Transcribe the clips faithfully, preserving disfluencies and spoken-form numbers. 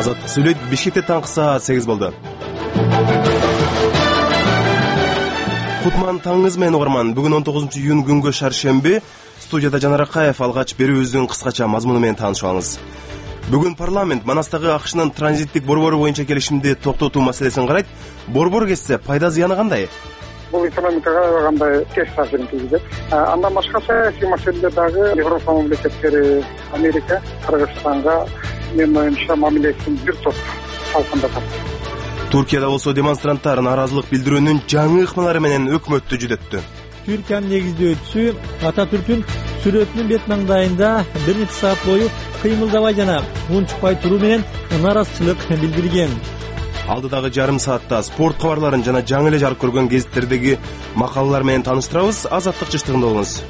Азаттык сүйлөйт. Бишкекте таңкы саат сегиз болду. Кутман таңыңыз менен угарман. Бүгүн он тогузунчу июнь күнгө шаршемби. Студияда Жанар Акаев. Алгач берүүбүздүн кыскача мазмуну менен таанышып алыңыз. Бүгүн парламент Манастагы АКШнын транзиттик борбору боюнча келишимди токтотуу маселесин карайт. Борбор кетсе пайда зыяны кандай? Бул экономикага кандай терс таасирин тийгизет. Андан башка саясий маселелер дагы Европа мамлекеттери, Америка, Кыргызстанга менин оюмча мамилесин бир топ салкындатат. Туркияда болсо демонстранттар нааразылык билдирүүнүн жаңы ыкмалары менен өкмөттү жүдөттү. Түркиянын негиздөөчүсү Ататүрктүн сүрөтүнүн бет маңдайында бир нече саат бою кыймылдабай жана унчукпай туруу менен нааразычылык билдирген. Алдыдагы жарым саатта спорт кабарларын жана жаңы эле жарык көргөн гезиттердеги макалалар менен тааныштырабыз. Азаттык жыштыгында болуңуз.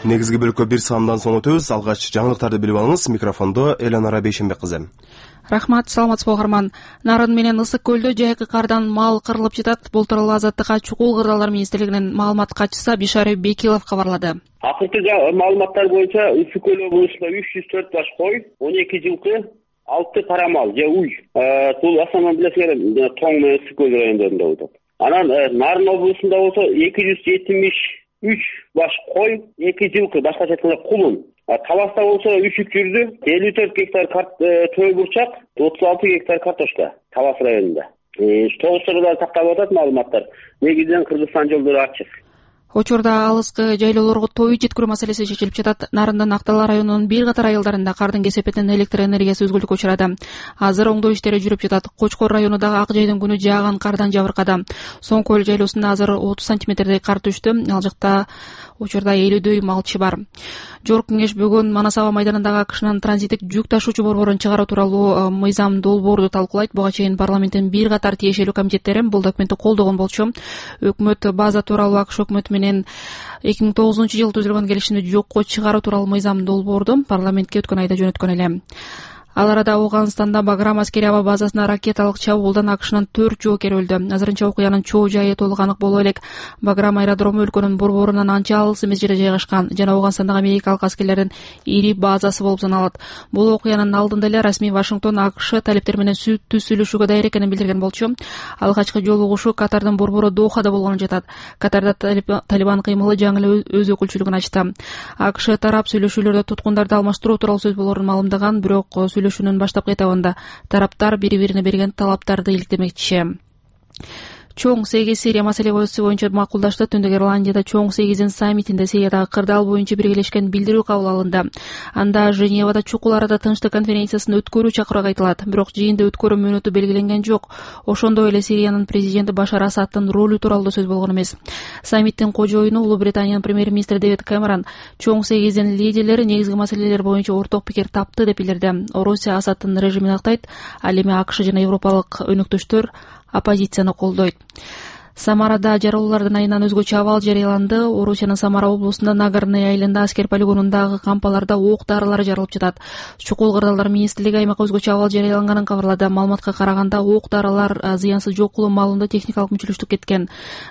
Негизги бөлүккө бир саамдан соң өтөбүз. Алгач жаңылыктарды билип алыңыз. Микрофондо Эланара Бейшенбек кызы. Рахмат, саламатсызбы угарман. Нарын менен Ысык көлдө жайкы кардан мал кырылып жатат. Бул тууралуу Азаттыкка Чукул кырдаалдар министрлигинин маалымат катчысы Бишари Бекилов кабарлады. Акыркы маалыматтар боюнча Ысык көл облусунда үч жүз төрт баш кой, он эки жылкы, алты кара мал же уй. Бул основном билесиңер Тоң менен Ысык көл райондорунда болот. Анан Нарын облусунда болсо эки жүз жетимиш үч баш кой, эки жылкы, башкача айтканда кулун. Таласта болсо үчүк жүрдү, элүү төрт гектар төө бурчак, отуз алты гектар картошка Талас районунда. Тогуз сырда такталып атат маалыматтар. Негизинен Кыргызстан жолдору ачык. Учурда алыскы жайлоолорго той жеткирүү маселеси чечилип жатат. Нарындын Актала районунун бир катар айылдарында кардын кесепетинен электр энергиясы үзгүлтүккө учурады. Азыр оңдоо иштери жүрүп жатат. Кочкор районундагы Ак жайдын күнү жааган кардан жабыркады. Соң көл жайлоосунда азыр отуз сантиметрдей кар түштү. Ал жакта учурда элүүдөй малчы бар. Жогорку кеңеш бүгүн Манас аба майданындагы АКШнын транзиттик жүк ташуучу борборун чыгаруу тууралуу мыйзам долбоорду талкуулайт. Буга чейин парламенттин бир катар тиешелүү комитеттери бул документти колдогон болчу. Өкмөт база тууралуу АКШ өкмөтү менен эки миң тогузунчу жылы түзүлгөн келишимди жокко чыгаруу тууралуу мыйзам долбоорду парламентке өткөн айда жөнөткөн эле. Ал арада Афганстанда Баграм аскери аба базасына ракеталык чабуулдан АКШнын төрт жоокери өлдү. Азырынча окуянын чоо жайы толук анык боло элек. Баграм аэродрому өлкөнүн борборунан анча алыс эмес жерде жайгашкан жана Афганстандагы америкалык аскерлердин ири базасы болуп саналат. Бул окуянын алдында эле расмий Вашингтон АКШ талептер менен сүттүү сүйлөшүүгө даяр экенин билдирген болчу. Алгачкы жолугушуу Катардын борбору Дохада болгонун жатат. Катарда Талибан кыймылы жаңы эле өз өкүлчүлүгүн ачты. АКШ тарап сүйлөшүүлөрдө туткундарды алмаштыруу тууралуу сөз болоорун маалымдаган, бирок сүйлөшүүнүн баштапкы этабында тараптар бири-бирине берген талаптарды иликтемекчи. Чоң сегиз Сирия маселеси боюнча макулдашты. Түндүк Ирландияда Чоң сегиздин саммитинде Сириядагы кырдаал боюнча биргелешкен билдирүү кабыл алынды. Анда Женевада чукул арада тынчтык конференциясын өткөрүү чакыруу айтылат. Бирок жыйында өткөрүү мөөнөтү белгиленген жок. Ошондой эле Сириянын президенти Башар Асадтын ролу тууралуу сөз болгон эмес. Саммиттин кожоюну Улуу Британиянын премьер-министри Дэвид Кэмерон Чоң сегиздин лидерлери негизги маселелер боюнча орток пикир тапты деп билдирди. Орусия Асадтын режимин актайт, ал эми АКШ жана европалык өнөктөштөр оппозицияны колдойт. Самарада жаралуулардын айынан өзгөчө абал жарыяланды. Орусиянын Самара облусунда Нагорный айылында аскер полигонундагы кампаларда ок дарылар жарылып жатат. Чукул кырдаалдар министрлиги аймакка өзгөчө абал жарыяланганын кабарлады. Маалыматка караганда ок дарылар зыянсыз жок кылуу маалында техникалык мүчүлүштүк кеткен.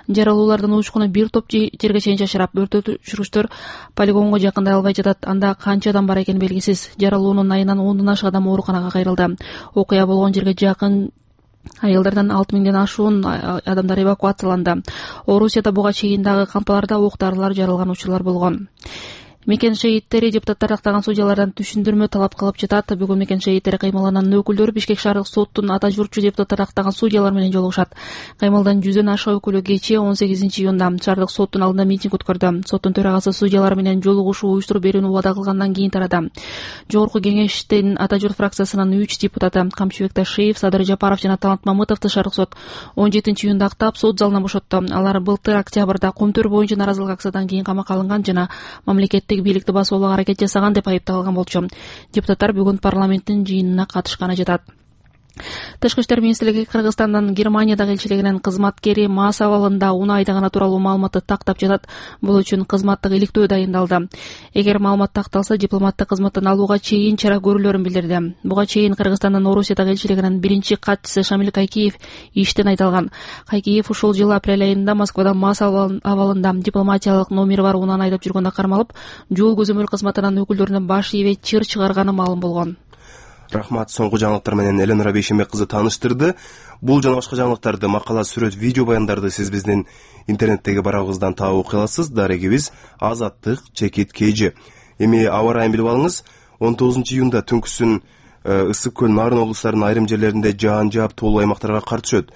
Жаралуулардын учкуну бир топ жерге чейин чачырап, өрт өчүргүчтөр полигонго жакындай албай жатат. Анда канча адам бар экени белгисиз. Жаралуунун айынан ондон ашык адам ооруканага кайрылды. Окуя болгон жерге жакын айылдардан алты миңден ашуун адамдар эвакуацияланды. Орусияда буга чейин дагы кампаларда ок дарылар жарылган учурлар болгон. Мекен шейиттери депутаттар актаган судьялардан түшүндүрмө талап кылып жатат. Бүгүн Мекен шейиттери кыймылынын өкүлдөрү Бишкек шаардык соттун ата журтчу депутаттар актаган судьялар менен жолугушат. Кыймылдын жүздөн ашык өкүлү кечээ он сегизинчи июнда шаардык соттун алдында митинг өткөрдү. Соттун төрагасы судьялар менен жолугушуу уюштуруп берүүнү убада кылгандан кийин тарады. Жогорку кеңештин ата журт фракциясынын үч депутаты Камчыбек Ташиев, Садыр Жапаров жана Талант Мамытовду шаардык сот он жетинчи июнда актап сот залынан бошотту. Алар былтыр октябрда Кумтөр боюнча наразылык акциядан кийин камакка алынган жана мамлекеттик бийликти басууга аракет жасаган деп айыпталган болчу. Депутаттар бүгүн парламенттин жыйынына катышканы жатат. Тышкы иштер министрлиги Кыргызстандын Германиядагы элчилигинин кызматкери мас абалында унаа айдаганы тууралуу маалыматты тактап жатат. Бул үчүн кызматтык иликтөө дайындалды. Эгер маалымат такталса, дипломаттык кызматтан алууга чейин чара көрүлөрүн билдирди. Буга чейин Кыргызстандын Орусиядагы элчилигинин биринчи катчысы Шамил Кайкиев иштен айдалган. Кайкиев ушул жылы апрель айында Москвада мас абалында дипломатиялык номери бар унааны айдап жүргөндө кармалып, жол көзөмөл кызматынын өкүлдөрүнө баш ийбей чыр чыгарганы маалым болгон. Рахмат. Соңку жаңылыктар менен Эленора Бейшембек кызы тааныштырды. Бул жана башка жаңылыктарды, макала, сүрөт, видео баяндарды сиз биздин интернеттеги барагыбыздан таап окуй аласыз. Дарегибиз Азаттык чекит kg. Эми аба ырайын билип алыңыз. он тогузунчу июнда түнкүсүн Ысык көл, Нарын облустарынын айрым жерлеринде жаан жаап тоолуу аймактарга кар түшөт.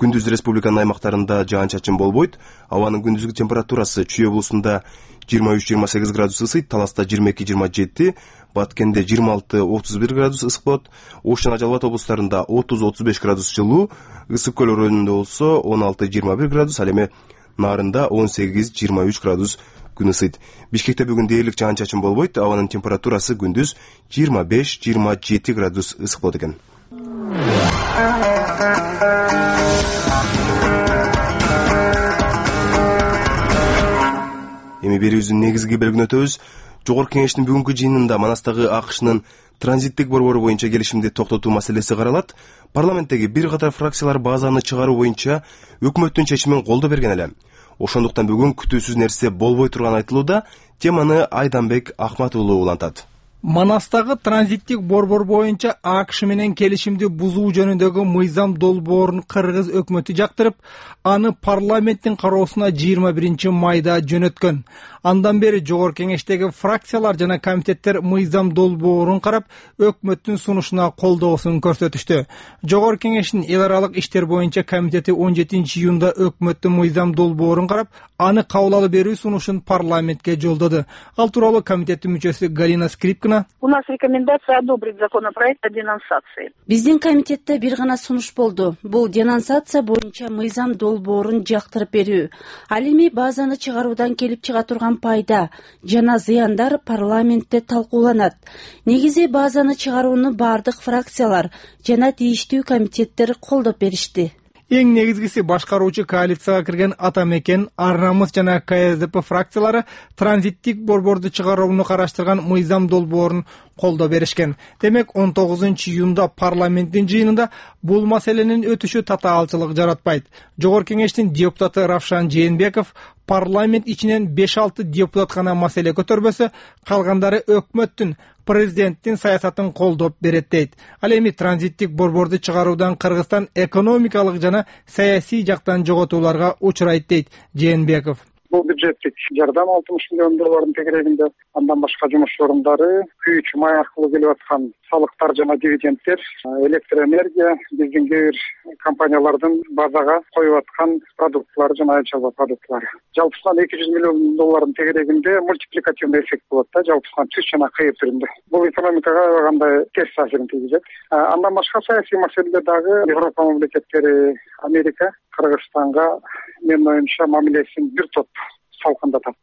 Күндүз республиканын аймактарында жаан-чачын болбойт. Абанын күндүзгү температурасы Чүй облусунда жыйырма үч жыйырма сегиз градус ысыйт, Таласта жыйырма эки жыйырма жети, Баткенде жыйырма алты отуз бир градус ысык болот. Ош жана Жалал Абад облустарында отуз отуз беш градус жылуу, Ысык көл районунда болсо он алты жыйырма бир градус, ал эми Нарында он сегиз жыйырма үч градус күн ысыйт. Бишкекте бүгүн дээрлик жаан-чачын болбойт. Абанын температурасы күндүз жыйырма беш жыйырма жети градус ысык болот экен. Эми берүүбүздүн негизги бөлүгүнө өтөбүз. Жогорку кеңештин бүгүнкү жыйынында Манастагы АКШнын транзиттик борбору боюнча келишимди токтотуу маселеси каралат. Парламенттеги бир катар фракциялар базаны чыгаруу боюнча өкмөттүн чечимин колдоо берген эле. Ошондуктан бүгүн күтүүсүз нерсе болбой турганы айтылууда. Теманы Айданбек Ахмат уулу улантат. Манастагы транзиттик борбор боюнча АКШ менен келишимди бузуу жөнүндөгү мыйзам долбоорун Кыргыз өкмөтү жактырып, аны парламенттин кароосуна жыйырма биринчи майда жөнөткөн. Андан бери жогорку кеңештеги фракциялар жана комитеттер мыйзам долбоорун карап, өкмөттүн сунушуна колдоосун көрсөтүштү. Жогорку кеңештин эл аралык иштер боюнча комитети он жетинчи июнда өкмөттүн мыйзам долбоорун карап, аны кабыл алып берүү сунушун парламентке жолдоду. Ал тууралуу комитеттин мүчөсү Галина Скрипкина: У нас рекомендация одобрить законопроект о денонсации. Биздин комитетте бир гана сунуш болду. Бул денонсация боюнча мыйзам долбоорун жактырып берүү. Ал эми базаны чыгаруудан келип чыга турган пайда жана зыяндар парламентте талкууланат. Негизи базаны чыгарууну бардык фракциялар жана тийиштүү комитеттер колдоп беришти. Эң негизгиси башкаруучу коалицияга кирген Ата Мекен, Ар Намыс жана КСДП фракциялары транзиттик борборду чыгарууну караштырган мыйзам долбоорун колдоо беришкен. Демек, он тогузунчу июнда парламенттин жыйынында бул маселенин өтүшү татаалчылык жаратпайт. Жогорку кеңештин депутаты Равшан Жээнбеков парламент ичинен беш алты депутат гана маселе көтөрбөсө, калгандары өкмөттүн, президенттин саясатын колдоп берет дейт. Ал эми транзиттик борборду чыгаруудан Кыргызстан экономикалык жана саясий жактан жоготууларга учурайт дейт Жээнбеков. Бул бюджеттик жардам алтымыш миллион доллардын тегерегинде, андан башка жумуш орундары, күйүүчү май аркылуу келип аткан салыктар жана дивидендтер, электроэнергия, биздин кээ бир компаниялардын базага коюп аткан продуктлары жана айыл чарба продуктлары. Жалпысынан эки жүз миллион доллардын тегерегинде мультипликативный эффект болот да, жалпысынан түз жана кыйыр түрүндө. Бул экономикага кандай терс таасирин тийгизет. Андан башка саясий маселеде дагы Европа мамлекеттери, Америка Кыргызстанга менин оюмча мамилесин бир топ салкындатат.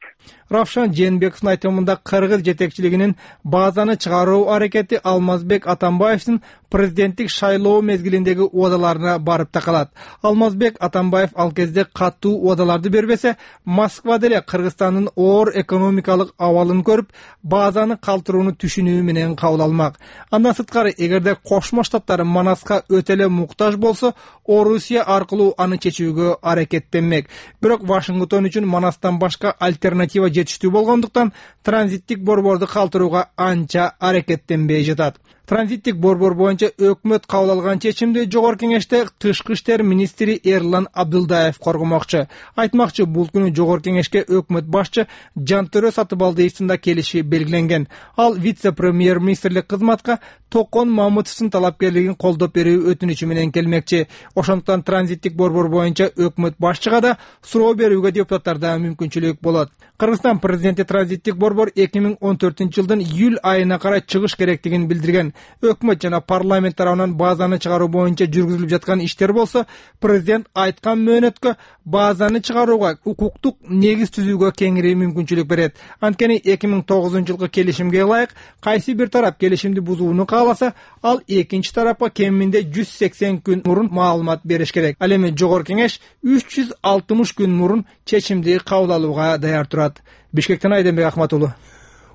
Равшан Жээнбековдун айтымында Кыргыз жетекчилигинин базаны чыгаруу аракети Алмазбек Атамбаевдин президенттик шайлоо мезгилиндеги убадаларына барып такалат. Алмазбек Атамбаев ал кезде катуу убадаларды бербесе, Москва деле Кыргызстандын оор экономикалык абалын көрүп, базаны калтырууну түшүнүү менен кабыл алмак. Андан сырткары, эгерде Кошмо Штаттар Манаска өтө эле муктаж болсо, Орусия аркылуу аны чечүүгө аракеттенмек. Бирок Вашингтон үчүн Манастан башка альтернатива жетиштүү болгондуктан транзиттик борборду калтырууга анча аракеттенбей жатат. Транзиттик борбор боюнча өкмөт кабыл алган чечимди жогорку кеңеште тышкы иштер министри Эрлан Абдылдаев коргомокчу. Айтмакчы, бул күнү жогорку кеңешке өкмөт башчы Жантөрө Сатыбалдиевдин да келиши белгиленген. Ал вице-премьер-министрлик кызматка Токон Мамытовдун талапкерлигин колдоп берүү өтүнүчү менен келмекчи. Ошондуктан транзиттик борбор боюнча өкмөт башчыга да суроо берүүгө депутаттарда мүмкүнчүлүк болот. Кыргызстан президенти транзиттик борбор эки миң он төртүнчү жылдын июль айына карай чыгыш керектигин билдирген. Өкмөт жана парламент тарабынан базаны чыгаруу боюнча жүргүзүлүп жаткан иштер болсо, президент айткан мөөнөткө базаны чыгарууга укуктук негиз түзүүгө кеңири мүмкүнчүлүк берет. Анткени эки миң тогузунчу жылкы келишимге ылайык, кайсы бир тарап келишимди бузууну кааласа, ал экинчи тарапка кеминде жүз сексен күн мурун маалымат бериш керек. Ал эми жогорку кеңеш үч жүз алтымыш күн мурун чечимди кабыл алууга даяр турат. Бишкектен Айданбек Ахмат уулу.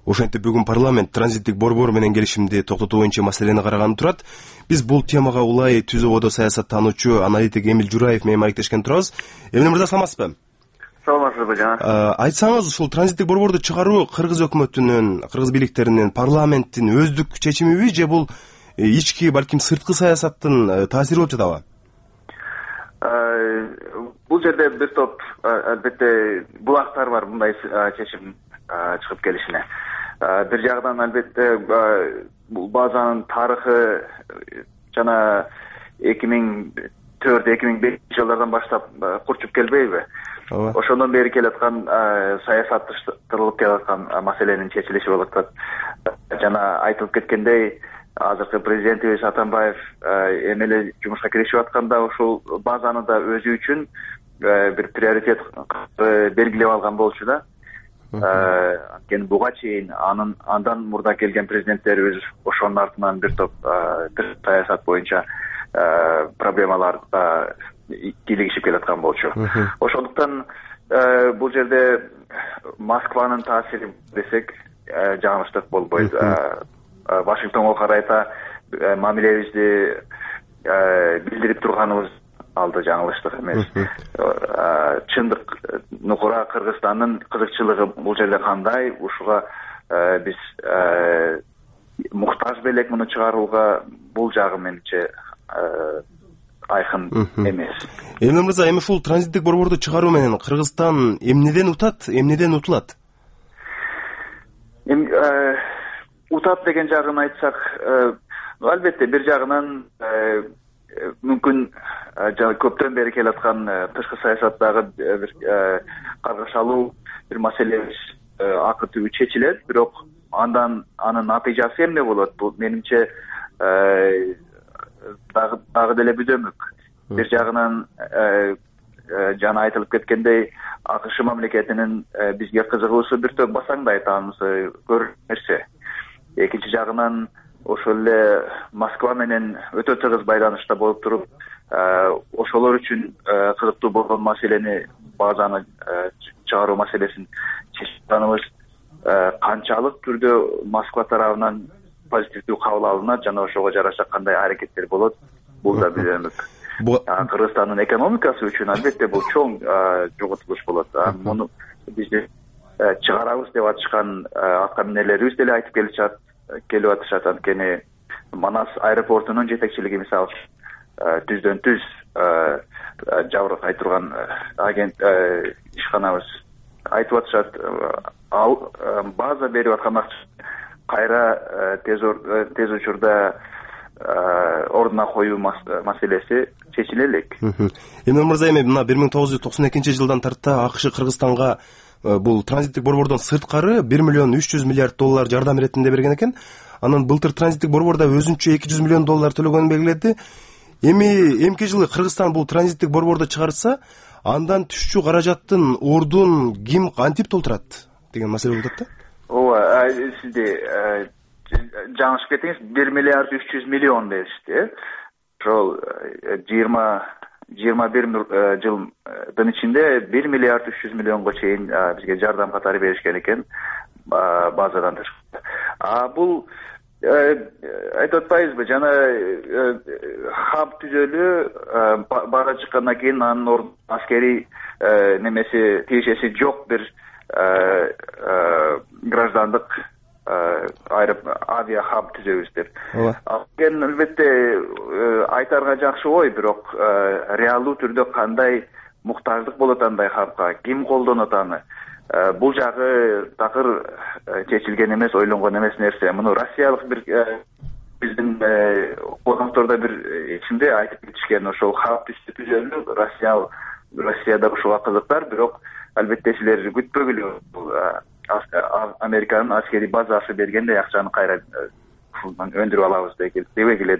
Ошентип бүгүн парламент транзиттик борбор менен келишимди токтотуу боюнча маселени караганы турат. Биз бул темага улай түз ободо саясаттануучу аналитик Эмил Жураев менен маектешкен турабыз. Эмил мырза, саламатсызбы? Саламатсызбы жана. Айтсаңыз, ушул транзиттик борборду чыгаруу кыргыз өкмөтүнүн, кыргыз бийликтеринин, парламенттин өздүк чечимиби же бул ички, балким сырткы саясаттын таасири болуп жатабы? Бул жерде бир топ албетте булактар бар мындай чечим чыгып келишине. Бир жагынан албетте бул базанын тарыхы жана эки миң төрт эки миң бешинчи жылдардан баштап курчуп келбейби? Ошондон бери келаткан саясатташтырылып келаткан маселенин чечилиши болуп атат. Жана айтылып кеткендей, азыркы президентибиз Атамбаев эми эле жумушка киришип атканда ушул базаны да өзү үчүн бир приоритет белгилеп алган болчу да. Анткени буга чейин анын андан мурда келген президенттерибиз ошонун артынан бир топ саясат боюнча проблемаларга кийлигишип келаткан болчу. Ошондуктан бул жерде Москванын таасири десек жаңылыштык болбойт. Вашингтонго карайта мамилебизди билдирип турганыбыз алды жаңылыштык эмес. Чындык нукура Кыргызстандын кызыкчылыгы бул жерде кандай, ушуга биз муктаж белек муну чыгарууга, бул жагы менимче айкын эмес. Эмне мырза, эми ушул транзиттик борборду чыгаруу менен Кыргызстан эмнеден утат, эмнеден утулат? Эми утат деген жагын айтсак, албетте бир жагынан мүмкүн жана көптөн бери келаткан тышкы саясаттагы бир каргашалуу бир маселебиз акы түбү чечилет, бирок андан анын натыйжасы эмне болот? Бул менимче дагы дагы деле бүдөмүк. Бир жагынан жана айтылып кеткендей, АКШ мамлекетинин бизге кызыгуусу бир топ басаңдайт, анысы көрүнүп нерсе. Экинчи жагынан ошол эле Москва менен өтө тыгыз байланышта болуп туруп, ошолор үчүн кызыктуу болгон маселени, базаны чыгаруу маселесин чечкенибиз канчалык түрдө Москва тарабынан позитивдүү кабыл алынат жана ошого жараша кандай аракеттер болот, бул да бүдөмүк. Кыргызстандын экономикасы үчүн албетте бул чоң жоготулуш болот. Муну бизди чыгарабыз деп атышкан атка минерлерибиз деле айтып келишат, келип атышат. Анткени Манас аэропортунун жетекчилиги мисалы түздөн түз жабыркай турган агент ишканабыз айтып атышат, ал база берип аткан акча кайра тез учурда ордуна коюу маселеси чечиле элек. Эми мырза, эми мына бир миң тогуз жүз токсон экинчи жылдан тарта АКШ Кыргызстанга бул транзиттик борбордон сырткары бир миллион үч жүз миллиард доллар жардам иретинде берген экен. Анан былтыр транзиттик борборда өзүнчө эки жүз миллион доллар төлөгөнүн белгиледи. Эми эмки жылы Кыргызстан бул транзиттик борборду чыгарса, андан түшчү каражаттын ордун ким кантип толтурат деген маселе болуп атат да. Ооба, сизде жаңылышып кеттиңиз, бир миллиард үч жүз миллион дешти. Ошол жыйырма жыйырма бир жылдын ичинде бир миллиард үч жүз миллионго чейин бизге жардам катары беришкен экен базадан тышкары. А бул айтып атпайбызбы, жана хаб түзөлүү бара чыккандан кийин анын ордуна аскерий немеси тиешеси жок бир граждандык авиа хаб түзөбүз деп. Анткени албетте айтарга жакшы ой, бирок реалдуу түрдө кандай муктаждык болот андай хабка, ким колдонот аны? Бул жагы такыр чечилген эмес, ойлонгон эмес нерсе. Муну Россиялык бир биздин коноктордо бир ичинде айтып кетишкен, ошол хаб түзөлүү Россия Россияда ушуга кызыктар, бирок албетте силер күтпөгүлө, Американын аскерий базасы бергендей акчаны кайра өндүрүп алабыз дебегиле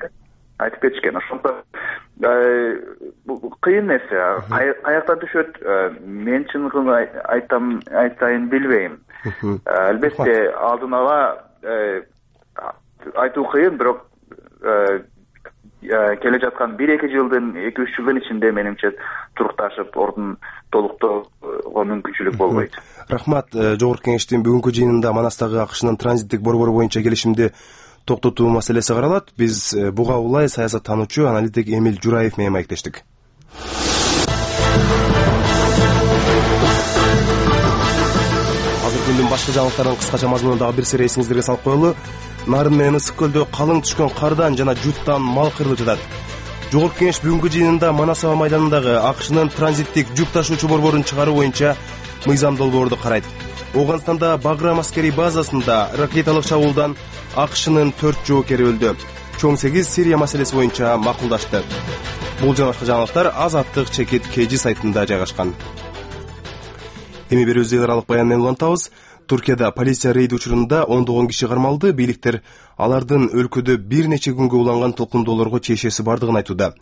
айтып кетишкен. Ошондо кыйын нерсе, каяктан түшөт, мен чындыгын айтам айтайын билбейм. Албетте алдын ала айтуу кыйын, бирок келе жаткан бир эки жылдын, эки үч жылдын ичинде менимче турукташып, ордун толуктоого мүмкүнчүлүк болбойт. Рахмат. Жогорку кеңештин бүгүнкү жыйынында Манастагы АКШнын транзиттик борбору боюнча келишимди токтотуу маселеси каралат. Биз буга улай саясаттануучу аналитик Эмиль Жураев менен маектештик. Азыр күндүн башкы жаңылыктарын кыскача мазмунундагы бир сире эсиңиздерге салып коелу. Нарын менен Ысык көлдө калың түшкөн кардан жана жуттан мал кырылып жатат. Жогорку кеңеш бүгүнкү жыйынында Манас аба майданындагы АКШнын транзиттик жүк ташуучу борборун чыгаруу боюнча мыйзам долбоорду карайт. Ооганстанда Баграм аскерий базасында ракеталык чабуулдан АКШнын төрт жоокери өлдү. Чоң сегиз Сирия маселеси боюнча макулдашты. Бул жана башка жаңылыктар Азаттык чекит кж сайтында жайгашкан. Эми берүүбүздү эл аралык баян менен улантабыз. Туркияда полиция рейд учурунда ондогон киши кармалды. Бийликтер алардын өлкөдө бир нече күнгө уланган толкундоолорго чечеси бардыгын айтууда.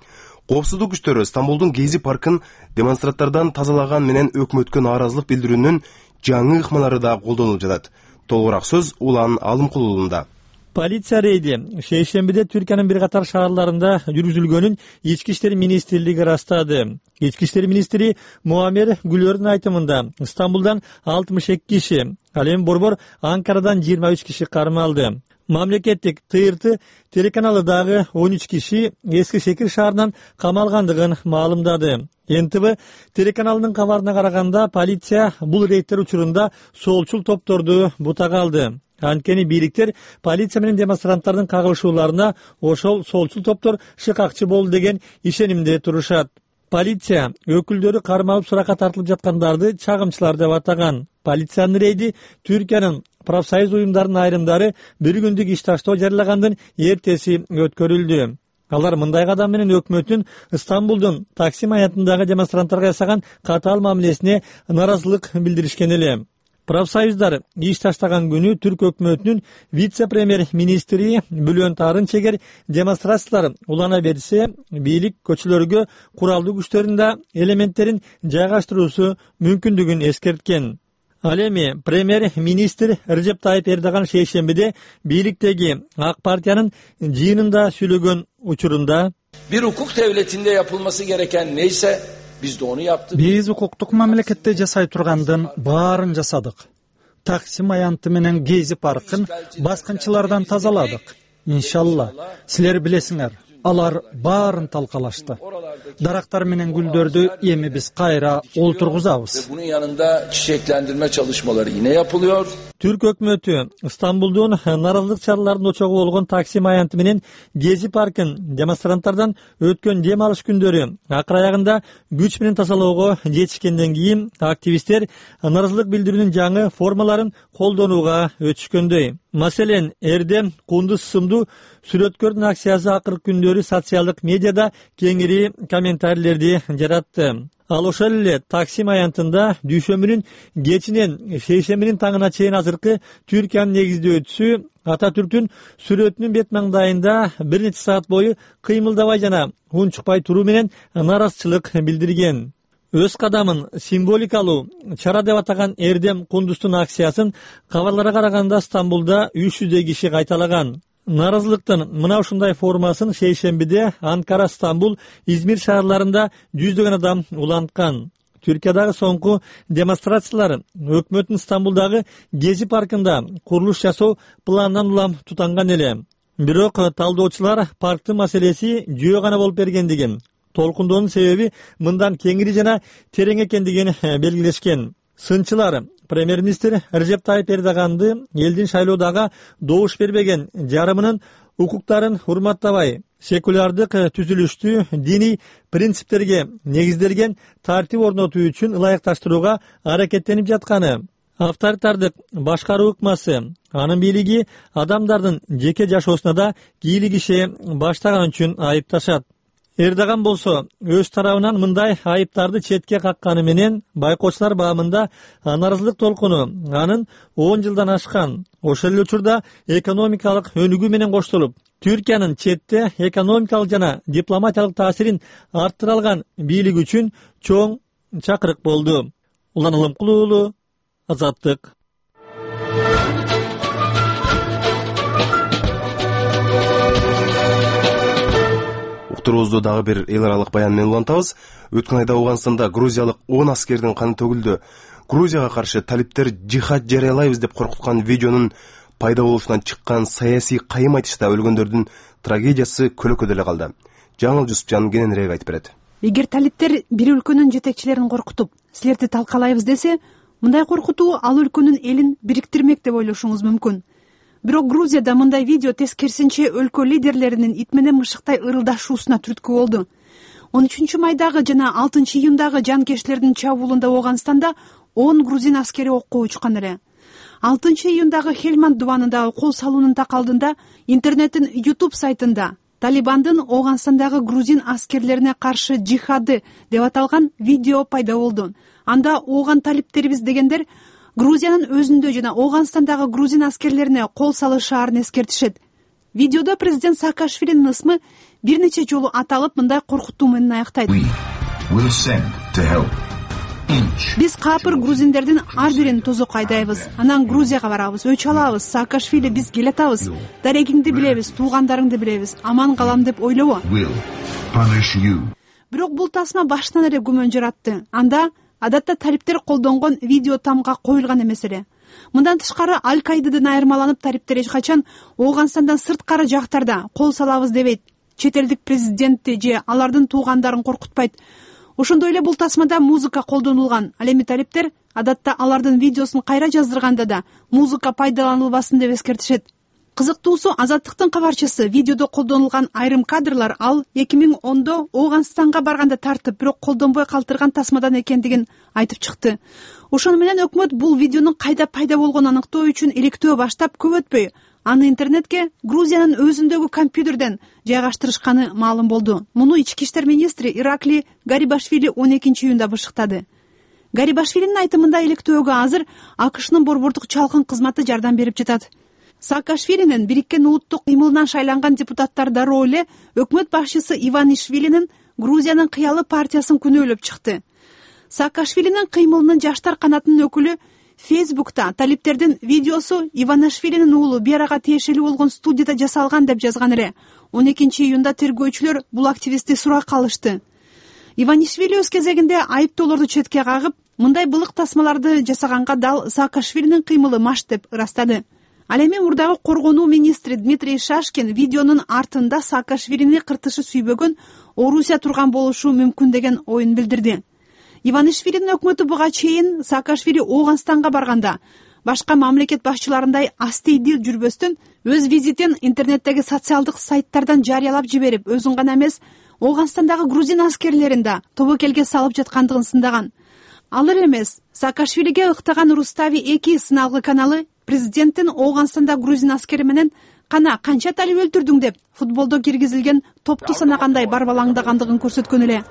Коопсуздук күчтөрү Стамбулдун Гези паркын демонстранттардан тазалаган менен өкмөткө нааразылык билдирүүнүн жаңы ыкмалары да колдонулуп жатат. Толугураак сөз Улан Алымкулуулунда. Полиция рейди шейшембиде Түркиянын бир катар шаарларында жүргүзүлгөнүн Ички иштер министрлиги ырастады. Ички иштер министри Муамер Гүлөрдүн айтымында Стамбулдан алтымыш эки киши, ал эми борбор Анкарадан жыйырма үч киши кармалды. Мамлекеттик ТРТ телеканалы дагы он үч киши Эски Шекир шаарынан камалгандыгын маалымдады. эн тэ вэ телеканалынын кабарына караганда полиция бул рейдтер учурунда солчул топторду бутага алды. Анткени бийликтер полиция менен демонстранттардын кагылышууларына ошол солчул топтор шыкакчы болду деген ишенимде турушат. Полиция өкүлдөрү кармалып суракка тартылып жаткандарды чагымчылар деп атаган. Полициянын рейди Түркиянын профсоюз уюмдарынын айрымдары бир күндүк иш таштоо жарыягандын эртеси өткөрүлдү. Алар мындай кадам менен өкмөттүн Стамбулдун Таксим аянтындагы демонстранттарга жасаган катаал мамилесине нааразылык билдиришкен эле. Профсоюздар иш таштаган күнү Түрк өкмөтүнүн вице-премьер-министри Бülent Arınçeger демонстрациялар улана берсе, бийлик көчөлөргө куралдуу күчтөрдүн да элементтерин жайгаштыруусу мүмкүндүгүн эскерткен. Ал эми премьер-министр Режеп Тайып Эрдоган шейшембиде бийликтеги ак партиянын жыйынында сүйлөгөн учурунда bir hukuk devletinde yapılması gereken neyse biz de onu yaptık. Биз укуктук мамлекетте жасай тургандын баарын жасадык. Таксим аянты менен Гези паркын баскынчылардан тазаладык. Иншалла, силер билесиңер, алар баарын талкалашты. Дарактар менен гүлдөрдү эми биз кайра олтургузабыз. Bunun yanında çiçeklendirme çalışmaları yine yapılıyor. Түрк өкмөтү Стамбулдун нааразылык чараларынын очогу болгон Таксим аянты менен Гези паркын демонстранттардан өткөн дем алыш күндөрү акыр аягында күч менен тазалоого жетишкенден кийин активисттер нааразылык билдирүүнүн жаңы формаларын колдонууга өтүшкөндөй. Маселен, Эрдем Кундуз сымдуу сүрөткөрдүн акциясы акыркы күндөрү социалдык медиада кеңири комментарийлерди жаратты. Ал ошол эле Таксим аянтында дүйшөмбүнүн кечинен шейшембинин таңына чейин азыркы Түркиянын негиздөөчүсү Ататүрктүн сүрөтүнүн бет маңдайында бир нече саат бою кыймылдабай жана унчукпай туруу менен нааразычылык билдирген. Өз кадамын символикалуу чара деп атаган Эрдем Кундуздун акциясын кабарларга караганда Стамбулда үч жүздөй киши кайталаган. Нааразылыктын мына ушундай формасын шейшембиде Анкара, Стамбул, Измир шаарларында жүздөгөн адам уланткан. Түркиядагы соңку демонстрациялар өкмөттүн Стамбулдагы Гези паркында курулуш жасоо планынан улам тутанган эле. Бирок талдоочулар парктын маселеси жөө гана болуп бергендигин, толкундоонун себеби мындан кеңири жана терең экендигин белгилешкен. Сынчылар премьер-министр Режеп Тайып Эрдоганды элдин шайлоодагы добуш бербеген жарымынын укуктарын урматтабай, секулярдык түзүлүштү диний принциптерге негизделген тартип орнотуу үчүн ылайыкташтырууга аракеттенип жатканы, авторитардык башкаруу ыкмасы, анын бийлиги адамдардын жеке жашоосуна да кийлик ише баштаган үчүн айыпташат. Эрдоган болсо өз тарабынан мындай айыптарды четке какканы менен байкоочулар баамында нааразылык толкуну анын он жылдан ашкан. Ошол эле учурда экономикалык өнүгүү менен коштолуп, Түркиянын четте экономикалык жана дипломатиялык таасирин арттыра алган бийлик үчүн чоң чакырык болду. Улан Алымкулуу, Азаттык. Уктуруубузду дагы бир эл аралык баян менен улантабыз. Өткөн айда Ооганстанда грузиялык он аскердин каны төгүлдү. Грузияга каршы талиптер жихад жарыялайбыз деп коркуткан видеонун пайда болушунан чыккан саясий кайым айтышта өлгөндөрдүн трагедиясы көлөкөдө эле калды. Жаңыл Жусупжан кененирээк айтып берет. Эгер талиптер бир өлкөнүн жетекчилерин коркутуп, силерди талкалайбыз десе, мындай коркутуу ал өлкөнүн элин бириктирмек деп ойлошуңуз мүмкүн. бирок Грузияда мындай видео тескерисинче өлкө лидерлеринин ит менен мышыктай ырылдашуусуна түрткү болду. он үчүнчү майдагы жана алтынчы июндагы жанкечтердин чабуулунда Ооганстанда он грузин аскери окко учкан эле. алтынчы июндагы Хельманд дубанындагы кол салуунун такалдында интернеттин YouTube сайтында Талибандын Ооганстандагы грузин аскерлерине каршы джихады деп аталган видео пайда болду. Анда ооган талиптерибиз дегендер Грузиянын өзүндө жана Ооганстандагы грузин аскерлерине кол салышаарын эскертишет. Видеодо президент Саакашвилинин ысмы бир нече жолу аталып, мындай коркутуу менен аяктайт. Биз капыр грузиндердин ар бирин тозок айдайбыз, анан Грузияга барабыз, өч алабыз. Саакашвили, биз келатабыз, дарегиңди билебиз, туугандарыңды билебиз, аман калам деп ойлобо. Бирок бул тасма баштан эле күмөн жаратты. Анда адатта талиптер колдонгон видео тамга коюлган эмес эле. Мындан тышкары Аль-Каидадан айырмаланып, талиптер эч качан Ооганстандан сырткары жактарда кол салабыз дебейт. Чет элдик президентти же алардын туугандарын коркутпайт. Ошондой эле бул тасмада музыка колдонулган. Ал эми талиптер адатта алардын видеосун кайра жаздырганда да музыка пайдаланылбасын деп эскертишет. Кызыктуусу, Азаттыктын кабарчысы видеодо колдонулган айрым кадрлар ал эки миң ондо Ооганстанга барганда тартып, бирок колдонбой калтырган тасмадан экендигин айтып чыкты. Ошону менен өкмөт бул видеонун кайда пайда болгонун аныктоо үчүн иликтөө баштап, көп өтпөй аны интернетке Грузиянын өзүндөгү компьютерден жайгаштырышканы маалым болду. Муну ички иштер министри Иракли Гарибашвили он экинчи июнда бышыктады. Гарибашвилинин айтымында иликтөөгө азыр АКШнын борбордук чалкын кызматы жардам берип жатат. Саакашвилинин Бириккен улуттук кыймылынан шайланган депутаттар дароо эле өкмөт башчысы Иванишвилинин Грузиянын кыялы партиясын күнөөлөп чыкты. Саакашвилинин кыймылынын жаштар канатынын өкүлү Фейсбукта талиптердин видеосу Иванишвилинин уулу Берага тиешелүү болгон студияда жасалган деп жазган эле. он экинчи июнда тергөөчүлөр бул активистти суракка алышты. Иванишвили өз кезегинде айыптоолорду четке кагып, мындай былык тасмаларды жасаганга дал Саакашвилинин кыймылы маш деп ырастады. Ал эми мурдагы коргонуу министри Дмитрий Шашкин видеонун артында Саакашвилини кыртышы сүйбөгөн Орусия турган болушу мүмкүн деген оюн билдирди. Иванишвилинин өкмөтү буга чейин Саакашвили Ооганстанга барганда башка мамлекет башчыларындай астейдил жүрбөстөн өз визитин интернеттеги социалдык сайттардан жарыялап жиберип, өзүн гана эмес, Ооганстандагы грузин аскерлерин да тобокелге салып жаткандыгын сындаган. Ал эле эмес, Саакашвилиге ыктаган Рустави эки сыналгы каналы президенттин Ооганстанда грузин аскери менен кана канча талип өлтүрдүң деп футболдо киргизилген топту санагандай барбалаңдагандыгын көрсөткөн эле.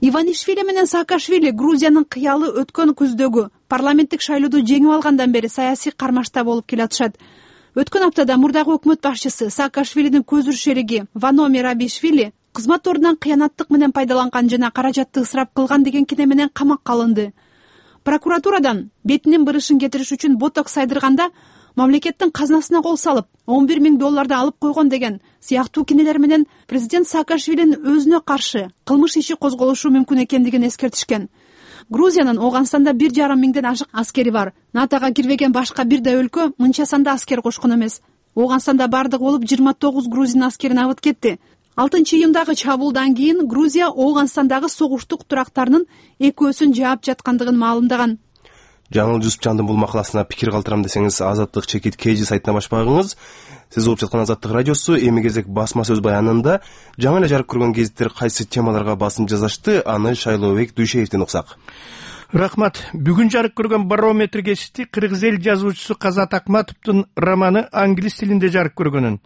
Иванишвили менен Саакашвили Грузиянын кыялы өткөн күздөгү парламенттик шайлоодо жеңип алгандан бери саясий кармашта болуп келатышат. Өткөн аптада мурдагы өкмөт башчысы Саакашвилинин көзүр шериги Вано Мерабишвили кызмат ордунан кыянаттык менен пайдаланган жана каражатты ысырап кылган деген кине менен камакка алынды. Прокуратурадан бетинин бырышын кетириш үчүн ботокс сайдырганда мамлекеттин казнасына кол салып, он бир миң долларды алып койгон деген сыяктуу кинелер менен президент Саакашвилинин өзүнө каршы кылмыш иши козголушу мүмкүн экендигин эскертишкен. Грузиянын Ооганстанда бир жарым миңден ашык аскери бар. натога кирбеген башка бир да өлкө мынча санда аскер кошкон эмес. Ооганстанда бардыгы болуп жыйырма тогуз грузин аскерин абыт кетти. алтынчы июндагы чабуулдан кийин Грузия Ооганстандагы согуштук турактарынын экөөсүн жаап жаткандыгын маалымдаган. Жаңыл Жусупжандын бул макаласына пикир калтырам десеңиз, Азаттык чекит Кж сайтына баш багыңыз. Сиз угуп жаткан Азаттык радиосу эми кезек басма сөз баянында жаңы эле жарык көргөн гезиттер кайсы темаларга басым жазышты, аны Шайлообек Дүйшеевден уксак. Рахмат. Бүгүн жарык көргөн Барометр гезити кыргыз эл жазуучусу Казат Акматовдун романы англис тилинде жарык көргөнүн,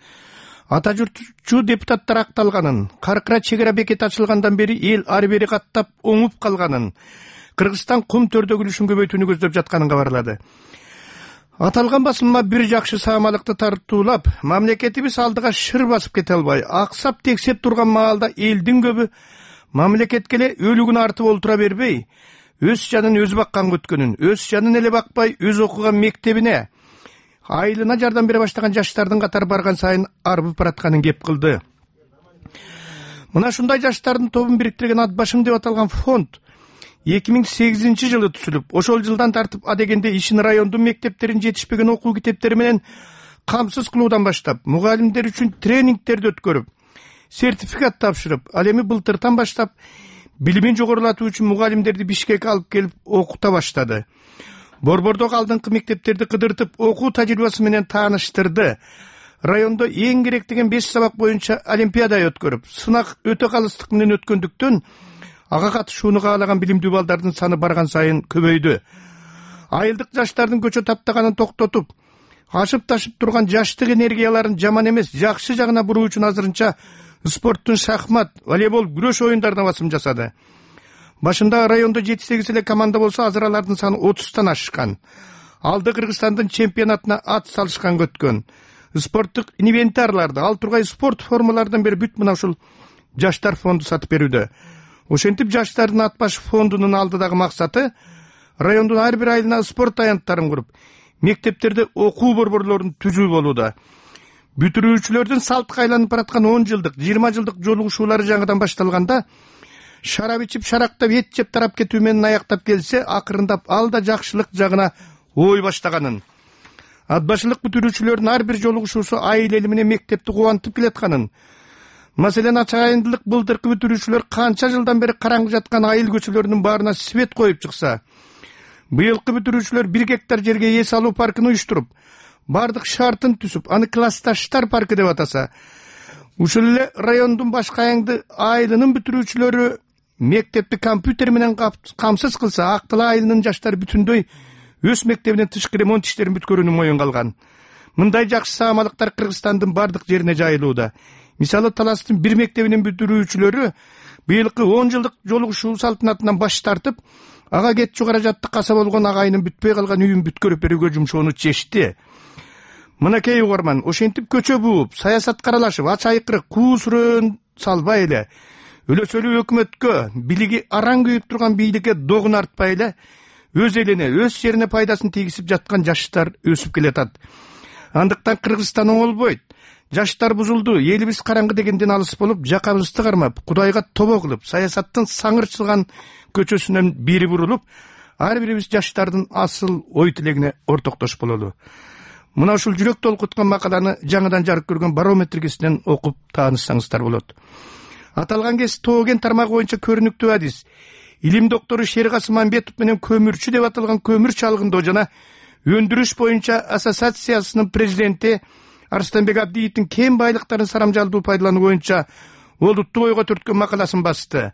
ата журтчу депутаттар акталганын, Каркыра чегара бекети ачылгандан бери эл ары бери каттап оңуп калганын, Кыргызстан кум төрдөгүлүшүн көбөйтүүнү көздөп жатканын кабарлады. Аталган басылма бир жакшы саамалыкты тартуулап, мамлекетибиз алдыга шыр басып кете албай, аксап тексеп турган маалда элдин көбү мамлекетке эле өлүгүн артып олтура бербей, өз жанын өзү баккан өткөнүн, өз жанын эле бакпай, өз окуган мектебине, айылына жардам бере баштаган жаштардын катары барган сайын арбып баратканын кеп кылды. Мына ушундай жаштардын тобун бириктирген ат башым деп аталган фонд эки миң сегизинчи жылы түзүлүп, ошол жылдан тартып адегенде ишин райондун мектептерин жетишпеген окуу китептери менен камсыз кылуудан баштап, мугалимдер үчүн тренингтерди өткөрүп, сертификат тапшырып, ал эми былтыртан баштап билимин жогорулатуу үчүн мугалимдерди Бишкекке алып келип окута баштады. Борбордогу алдыңкы мектептерди кыдыртып, окуу тажрыйбасы менен тааныштырды. Райондо эң керек деген беш сабак боюнча олимпиада өткөрүп, сынак өтө калыстык менен өткөндүктөн ага катышууну каалаган билимдүү балдардын саны барган сайын көбөйдү. Айылдык жаштардын көчө таптаганын токтотуп, ашып ташып турган жаштык энергияларын жаман эмес, жакшы жагына буруу үчүн азырынча спорттун шахмат, волейбол, күрөш оюндарына басым жасады. Башында райондо жети сегиз эле команда болсо, азыр алардын саны отуздан ашкан. Алды Кыргызстандын чемпионатына ат салышкан өткөн. Спорттук инвентарларды, ал тургай спорт формалардан бери бүт мына ушул жаштар фонду сатып берүүдө. Ошентип жаштардын ат баш фондунун алдыдагы максаты райондун ар бир айылына спорт аянттарын куруп, мектептерде окуу борборлорун түзүү болууда. Бүтүрүүчүлөрдүн салтка айланып бараткан он жылдык, жыйырма жылдык жолугушуулары жаңыдан башталганда, шарап ичип, шарактап, эт жеп тарап кетүү менен аяктап келсе, акырындап ал да жакшылык жагына ой баштаганын. Ат башылык бүтүрүүчүлөрдүн ар бир жолугушуусу айыл эли менен мектепти кубантып келатканын. Маселен, ачайындылык былтыркы бүтүрүүчүлөр канча жылдан бери караңгы жаткан айыл көчөлөрүнүн баарына свет коюп чыкса, быйылкы бүтүрүүчүлөр бир гектар жерге эс алуу паркын уюштуруп, бардык шартын түзүп, аны классташтар паркы деп атаса, ушул эле райондун башка айыңды айылынын бүтүрүүчүлөрү мектепти компьютер менен камсыз кылса, Актала айылынын жаштары бүтүндөй өз мектебинен тышкы ремонт иштерин бүткөрүүнү моюнга алган. Мындай жакшы саамалыктар Кыргызстандын бардык жерине жайылууда. Мисалы, Таластын бир мектебинин бүтүрүүчүлөрү быйылкы он жылдык жолугушуу салтанатынан баш тартып, ага кетчү каражатты каса болгон агайынын бүтпөй калган үйүн бүткөрүп берүүгө жумшоону чечти. Мынакей угарман, ошентип көчө бууп, саясатка аралашып, ач айкырык, куу сүрөөн салбай эле, өлөсөлүү өкмөткө, билиги араң күйүп турган бийликке догун артпай эле, өз элине, өз жерине пайдасын тийгизип жаткан жаштар өсүп келатат. Андыктан Кыргызстан оңолбойт. Жаштар бузулду, элибиз караңгы дегенден алыс болуп, жакабызды кармап, Кудайга тобо кылып, саясаттын саңырчылган көчөсүнөн бери бурулуп, ар бирибиз жаштардын асыл ой тилегине ортоктош бололу. Мына ушул жүрөк толкуткан макаланы жаңыдан жарык көргөн Барометр гезитинен окуп таанышсаңыздар болот. Аталган гезит Тооген тармагы боюнча көрүнүктүү адис, илим доктору Шеркасым Мамбетов менен көмүрчү деп аталган көмүр чалгындоо жана өндүрүш боюнча ассоциациясынын президенти Арстанбек Абдиевдин кен байлыктарын сарамжалдуу пайдалануу боюнча олуттуу ойго төрткөн макаласын басты.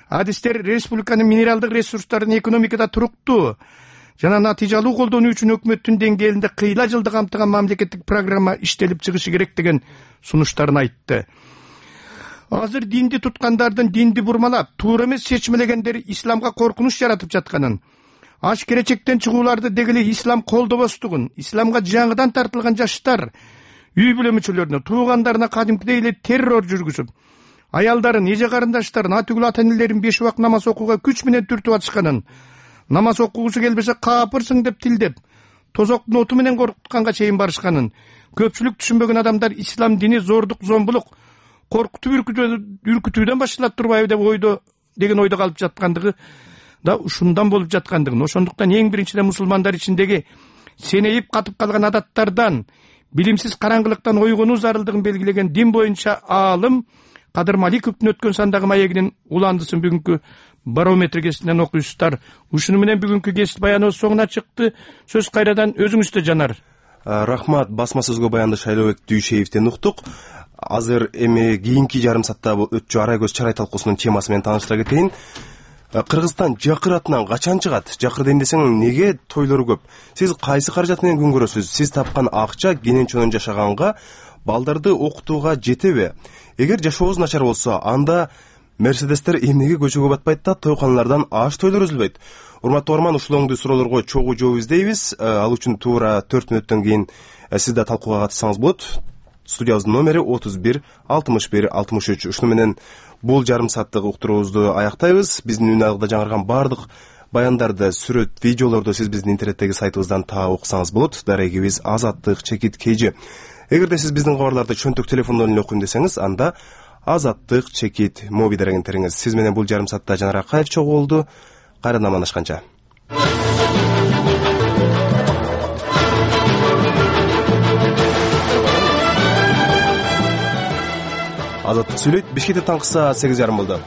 Адистер республиканын минералдык ресурстарын экономикада туруктуу жана натыйжалуу колдонуу үчүн өкмөттүн деңгээлинде кыйла жылды камтыган мамлекеттик программа иштелип чыгышы керек деген сунуштарын айтты. Азыр динди туткандардын динди бурмалап, туура эмес чечмелегендер исламга коркунуч жаратып жатканын, аш керечектен чыгууларды дегеле ислам колдобостугун, исламга жаңыдан тартылган жаштар үй бүлө мүчөлөрүнө, туугандарына кадимкидей эле террор жүргүзүп, аялдарын, эже карындаштарын, атүгүл ата энелерин беш убак намаз окууга күч менен түртүп атышканын, намаз окугусу келбесе капырсың деп тилдеп, тозоктун оту менен коркутканга чейин барышканын, көпчүлүк түшүнбөгөн адамдар ислам дини зордук, зомбулук, коркутуп үркүтүүдөн башталат турбайбы деп ойдо деген ойдо калып жаткандыгы да ушундан болуп жаткандыгын, ошондуктан эң биринчиден мусулмандар ичиндеги сенейип катып калган адаттардан, билимсиз караңгылыктан ойгонуу зарылдыгын белгилеген дин боюнча аалым Кадыр Маликовдун өткөн сандагы маегинин уландысын бүгүнкү Барометр гезитинен окуйсуздар. Ушуну менен бүгүнкү гезит баяныбыз соңуна чыкты. Сөз кайрадан өзүңүздө, Жанар. Рахмат, басма сөзгө баянды Шайлообек Дүйшеевден уктук. Азыр эми кийинки жарым саатта өтчү арай көз чарай талкуусунун темасы менен тааныштыра кетейин. Кыргызстан жакыр атынан качан чыгат? Жакыр дейин десең, неге тойлору көп? Сиз кайсы каражат менен күн көрөсүз? Сиз тапкан акча кенен чонун жашаганга, балдарды окутууга жетеби? Эгер жашообуз начар болсо, анда Мерседестер эмнеге көчөгө батпайт да тойканалардан аш тойлор үзүлбөйт? Урматтуу Орман, ушул оңдуу суроолорго чогуу жооп издейбиз. Ал үчүн туура төрт мүнөттөн кийин сиз да талкууга катышсаңыз болот. Студиябыздын номери отуз бир алтымыш бир алтымыш үч. Ушуну менен бул жарым сааттык уктуруубузду аяктайбыз. Биздин үн айылда жаңырган бардык баяндарды, сүрөт, видеолорду сиз биздин интернеттеги сайтыбыздан таап окусаңыз болот. Дарегибиз Азаттык чекит kg. Эгерде сиз биздин кабарларды чөнтөк телефондон эле окуйм десеңиз, анда Азаттык чекит моби дерегин териңиз. Сиз менен бул жарым саатта Жанар Акаев чогуу болду. Кайрадан амандашканча. Азаттык сүйлөйт. Бишкекте таңкы саат сегиз жарым болду.